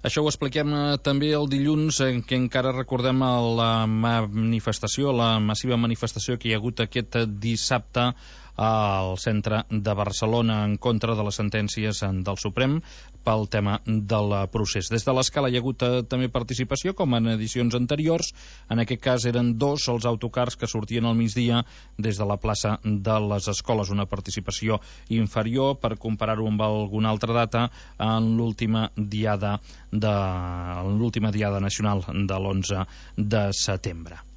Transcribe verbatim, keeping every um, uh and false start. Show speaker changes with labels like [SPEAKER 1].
[SPEAKER 1] Això ho expliquem eh, també el dilluns, en què encara recordem la manifestació, la massiva manifestació que hi ha hagut aquest dissabte al centre de Barcelona en contra de les sentències del Suprem pel tema del procés. Des de l'Escala hi ha hagut eh, també participació, com en edicions anteriors. En aquest cas eren dos els autocars que sortien al migdia des de la plaça de les Escoles, una participació inferior per comparar-ho amb alguna altra data en l'última diada de l'última diada nacional de l'onze de setembre.